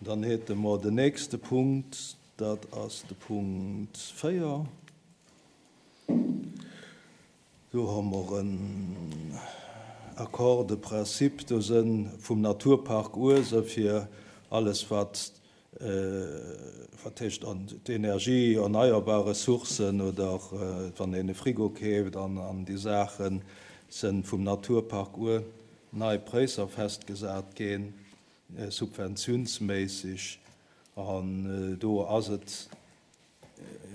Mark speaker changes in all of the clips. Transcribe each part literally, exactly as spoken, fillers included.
Speaker 1: Dann hätte mer den nächste Punkt, dat ass de Punkt véier. Do hu mer en Accord de principe, do sënn vum Naturpark Uese fir alles wat wat heescht an d'Energie, erneierbar Ressourcen oder wann een e Frigo keeft an an déi Saachen, sënn vum Naturpark Our nei Präisser festgesat ginn, subventiounsméisseg. An do ass et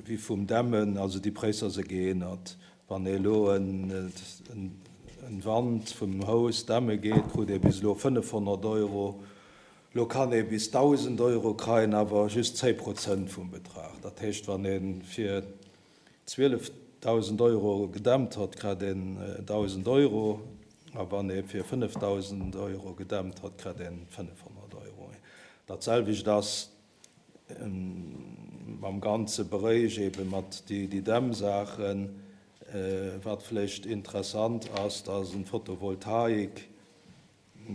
Speaker 1: wéi vum Dämmen, also déi Präisser se geännert. Wann ee elo en Wand vum Haus dämme geet, krut ee bis elo fënnefhonnert Euro. Elo kann ee bis dausend Euro kreien, awer just zéi Prozent vum Betrag. Dat heescht, wann ee fir zwielefdausend Euro gedämmt hat, kritt een dausend Euro, a wann ee fir fënnefdausend Euro gedämmt hat, kritt een fënnefhonnert Euro. Dat selwecht ass mam ganze Beréich ebe mat déi Dämmsaachen. Wat vläicht interessant ass, dat ass en Photovoltaik.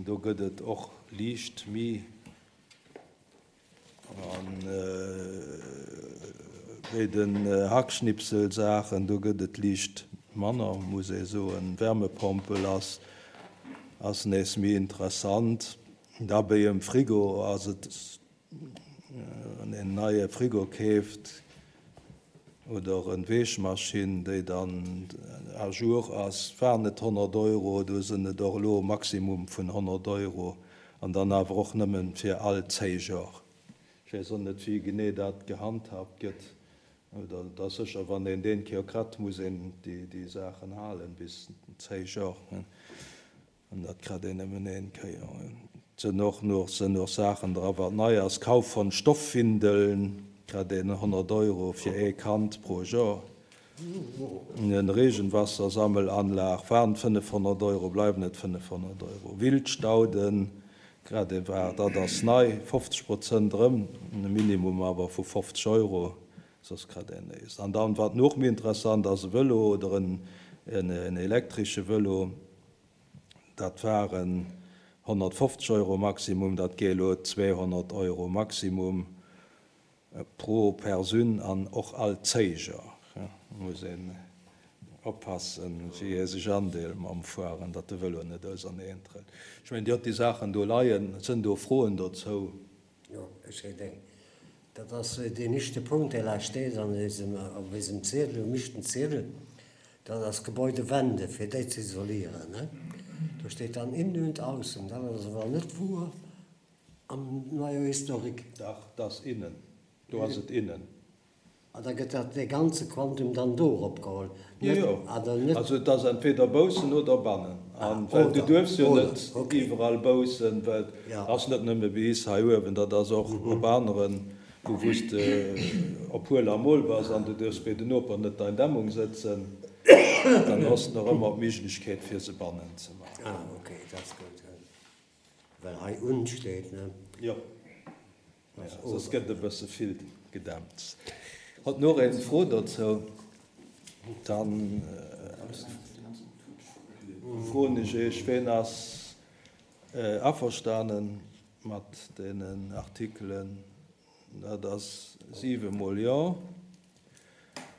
Speaker 1: Do gëtt et och liicht méi. An bei den Hackschnipselsaachen, do gëtt et liicht manner, muss ee soen. Wärmepompel ass ass nees méi interessant. Da bei em Frigo ass et, wann een neie Frigo keeft oder en Wäschmaschinn, déi dann à jour ass, waren et honnert Euro, do sinn et och elo Maximum vun honnert Euro an dann awer och nëmmen fir all zéi Jor. Ech weess och net, wéi genee dat gehandhabt gëtt. Oder et ass sécher, wann een deen Kéier kritt, muss een déi déi Saachen halen bis zéi Jor. An dat kritt een nëmmen een Kéier. Et sinn och nach sinn och Saachen dra wat nei ass, Kauf von Stoffwindeln kritt een honnert Euro fir ee Kand pro Joer. En Regenwassersammelanlag waren fënnefhonnert Euro, bleiwen et fënnefhonnert Euro. Wildstauden kritt ee war, dat ass nei, fofzeg Prozent erëm, e Minimum awer vu fofzeg Euro, soss kritt een nees. An dann, wat nach méi interessant ass, e Vëlo oder en en elektresche Vëlo, dat waren honnertfofzeg Euro Maximum, dat geet elo zweehonnert Euro Maximum pro Persoun an och all zéi Joer. Muss een oppassen, wéi ee sech andeelt mam Fueren, datt de Vëlo net auserneen trëllt. Ech mengen, Dir hutt déi Saachen do leien. Sënn do Froen dozou?
Speaker 2: Jo, ech hätt eng. Dat ass deen éischte Punkt, dee lech steet an eisem, op eisem Ziedel, um éischten Ziedel. Dat ass Gebäudewände, fir déi ze isolieren, ne? Do steet dann innen und außen. Dat ass awer net wuer am Noyau historique.
Speaker 1: Dach, dat ass innen. Do ass et innen.
Speaker 2: An da gëtt dat dee ganze Quantum dann do eropgeholl?
Speaker 1: Jo, jo.
Speaker 2: Ah, dann net.
Speaker 1: Also et ass entweder baussen oder bannen.
Speaker 2: Ah,
Speaker 1: An well du
Speaker 2: oder,
Speaker 1: duerfs jo
Speaker 2: oder,
Speaker 1: net
Speaker 2: okay.
Speaker 1: iwwerall baussen, well
Speaker 2: Ja.
Speaker 1: ass net nëmme bei is hei uewen, dat ass och op aneren, wou wou s de op Huel a Mol bass an du duerfs bei den Noper net dein Dämmung sëtzen, dann hues de nach ëmmer d'Méiglechkeet fir se bannen ze maachen.
Speaker 2: Ah, okay, dat ass gutt. Well hei und steet, ne?
Speaker 1: Jo. Soss gëtt e bësse vill gedämpt. Hott nach een Fro dozou? Dann froen ech Iech, ween ass averstanen mat deenen Artikelen? Dat ass siwe mol Jo.